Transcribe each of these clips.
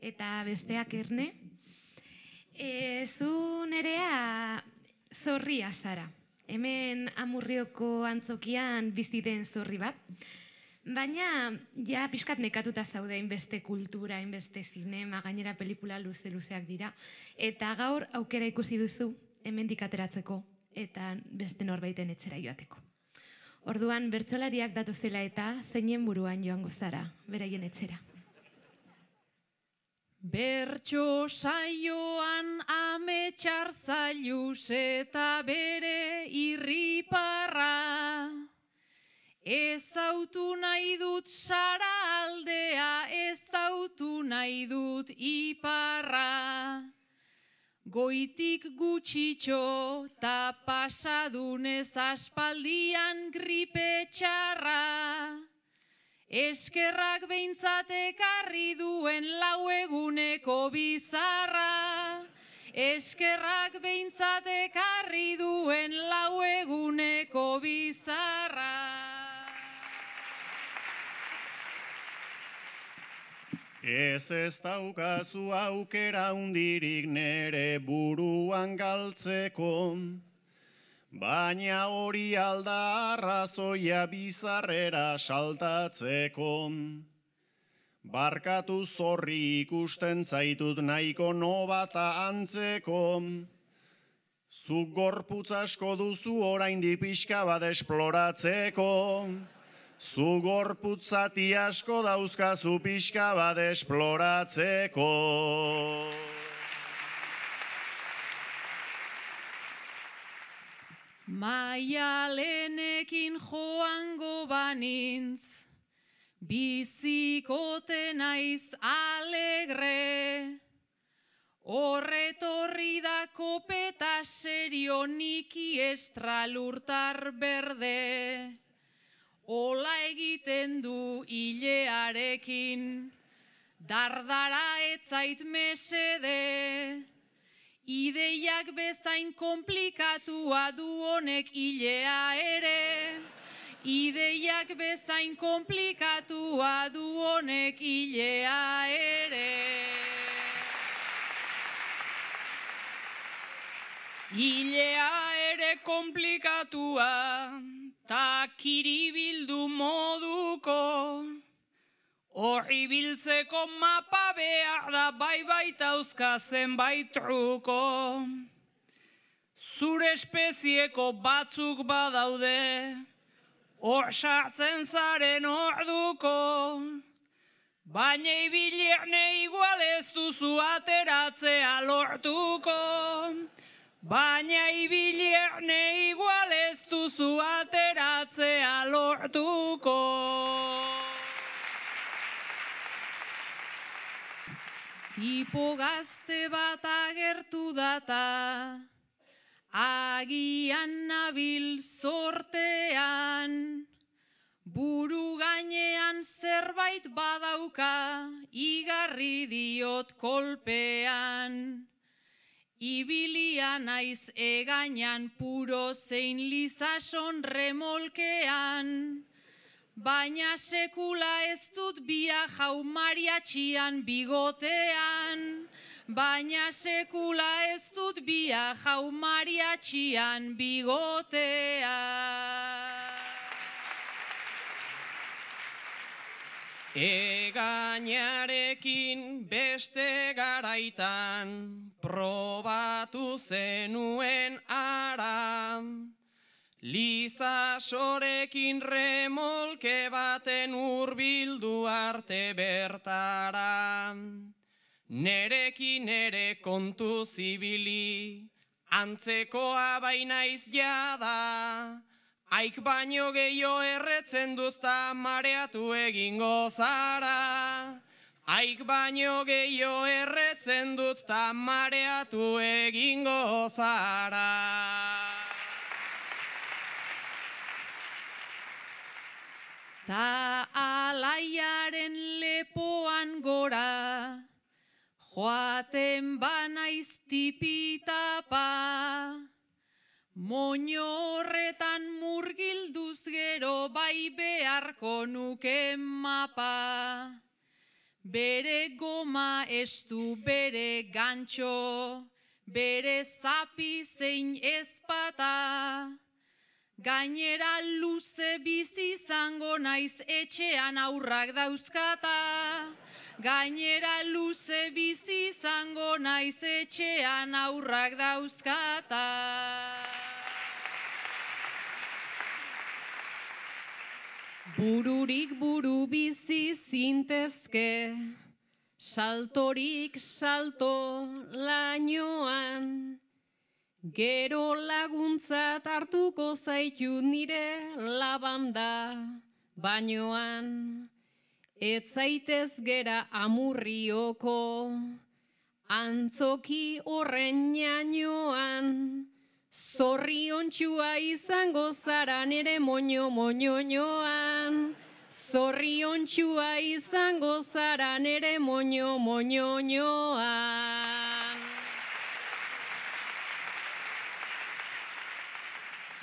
eta besteak Erne. Zu Nerea zorria zara. Hemen Amurrioko antzokian bizi den zorri bat. Baina, ja, pixkat nekatuta zaude hainbeste kultura, hainbeste zinema, gainera pelikula luzeak dira. Eta gaur aukera ikusi duzu hemendik ateratzeko eta beste norbaiten etxera joateko. Orduan, bertsolariak datozela eta zeinen buruan joango zara, beraien etxera. Bertso saioan ametxar zailuz eta bere irriparra. Ezautu nahi dut Sara aldea, ezautu nahi dut iparra. Goitik gutxitxo ta pasadunez aspaldian gripe txarra. Eskerrak behintzat ekarri duen 4 eguneko bizarra. Eskerrak behintzat ekarri duen 4 eguneko bizarra. Ez daukazu aukera hundirik nere buruan galtzeko, baina hori alda arrazoia bizarrera saltatzeko. Barkatu zorri ikusten zaitut nahiko nobata antzeko, zuk gorputz asko duzu oraindik pixka bat esploratzeko. Zu gorputzati asko dauzkazu pixka bat esploratzeko. Maialenekin joango banintz, bizikote naiz alegre. Horretorri da kopeta serio niki estralurtar berde. Ola egiten du hilearekin, dardara etzait mesede. Ideiak bezain komplikatua du honek hilea ere. Ideiak bezain komplikatua du honek hilea ere. Hilea ere komplikatua, ta kiribildu moduko, horri biltzeko mapa behar da bai baitauzka zenbait truko. Zure espezieko batzuk badaude, hor sartzen zaren orduko, baina ibilierne igual ez duzu ateratzea lortuko. Baina ibilierne igual ez duzu ateratzea lortuko. Tipo gazte bat agertu data, agian nabil zortean, buru gainean zerbait badauka, igarri diot kolpean. Ibilia naiz egainan puro zein lizason remolkean, baina sekula ez dut bia jau mariatxian bigotean. Baina sekula ez dut bia jau mariatxian bigotean. Egainarekin beste garaitan probatu zenuen ara. Lizasorekin remolke baten hurbildu arte bertara. Nerekin ere kontu zibili, antzekoa bainaiz jada. Aik baino gehiago erretzen duzta mareatu egingo zara. Aik baino gehiago erretzen duzta mareatu egingo zara. Ta alaiaren lepoan gora, joaten banaiz tipitapa. Moño horretan murgilduz gero bai beharko nuke mapa. bere goma estu, bere gantxo, bere zapi zein ezpata. Gainera luze bizi izango naiz etxean aurrak dauzkata. Gainera luze bizi izango naiz etxean aurrak dauzkata. Bururik buru bizi zintezke, saltorik salto lainoan. Gero laguntzat hartuko zaitu nire labanda bainoan. Ez zaitez gera amurrioko, antzoki horren jainoan. Zorriontxua izango zara nere moño-moñoñoan. Zorriontxua izango zara nere moño-moñoñoan.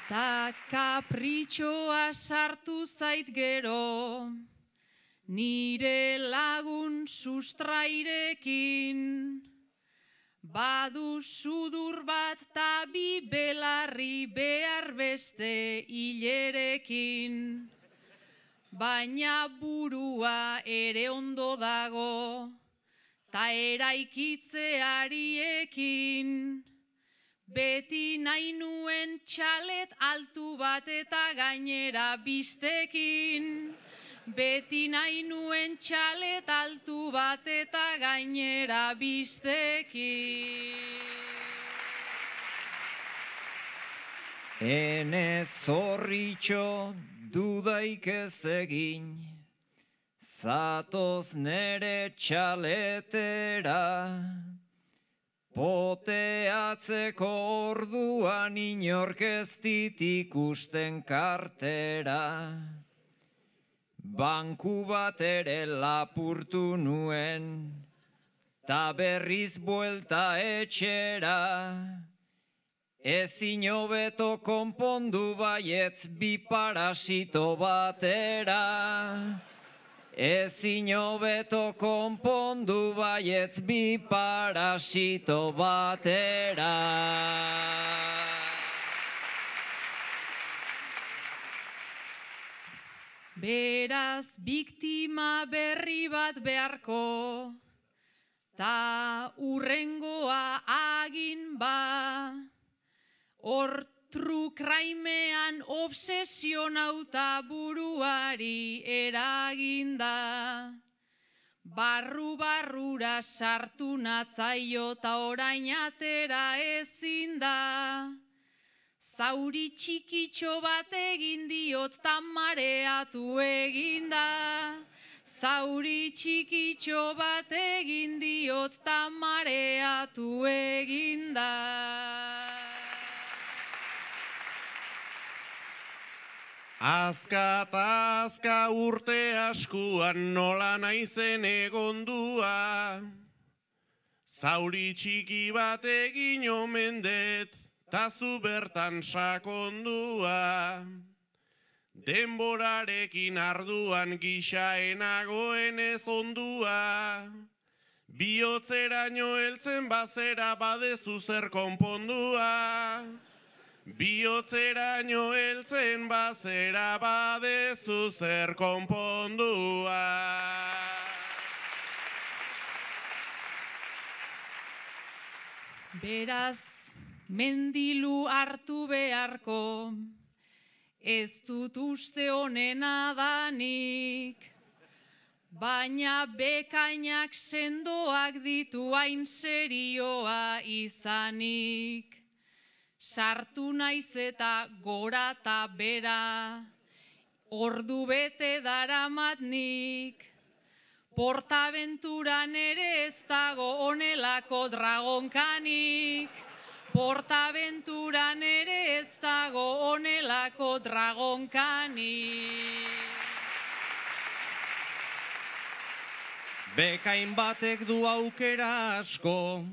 Ta kapritxoa sartu zait gero, nire lagun sustrairekin. Badu sudur bat ta bi belarri behar beste hilerekin. Baina burua ere ondo dago, ta eraikitzeariekin. Beti nahi nuen txalet altu bat eta gainera bistekin. Beti nahi nuen txalet altu bat eta gainera bistekin. Ene zorritxo dudaik ez egin, zatoz nere txaletera. Poteatzeko orduan inork ez dit ikusten kartera. Banku bat ere lapurtu nuen, ta berriz buelta etxera. Ezin hobeto konpondu baietz bi parasito batera. Ezin hobeto konpondu baietz bi parasito batera. Beraz, biktima berri bat beharko, ta urrengoa agin ba. Hor trukraimean obsesionauta buruari eraginda. Barru-barrura sartu natzaio ta orain atera ezin da. Zauri txikitxo bat egin diot ta mareatu eginda. Zauri txikitxo bat egin diot ta mareatu eginda. Azka eta azka urte askuan nola naizen egondua. Zauri txiki bat egin omen dut, ta zu bertan sakondua. Denborarekin arduan gixaenagoen ez ondua. Bihotzeraino heltzen bazera badezu zer konpondua. Bihotzeraino heltzen bazera badezu zer konpondua. Beraz, mendilu hartu beharko, ez dut uste honena danik. Baina bekainak sendoak ditu hain serioa izanik. Sartu naiz eta gora eta bera, ordu bete daramat nik. Portaventuran ere ez dago honelako dragonkanik. Portaventuran ere ez dago honelako dragonkanik. Bekain batek du aukera asko,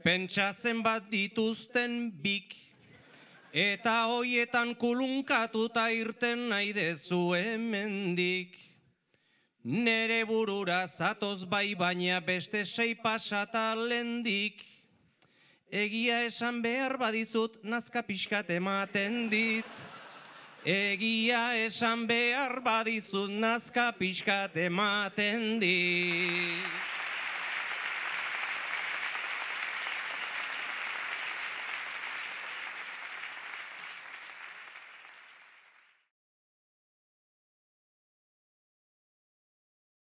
pentsatzen bat dituzten bik, eta hoietan kulunkatuta irten nahi dezu hemendik. Nere burura zatoz bai baina beste 6 pasata lendik. Egia esan behar badizut nazka pixkat ematen dit. Egia esan behar badizut nazka pixkat ematen dit.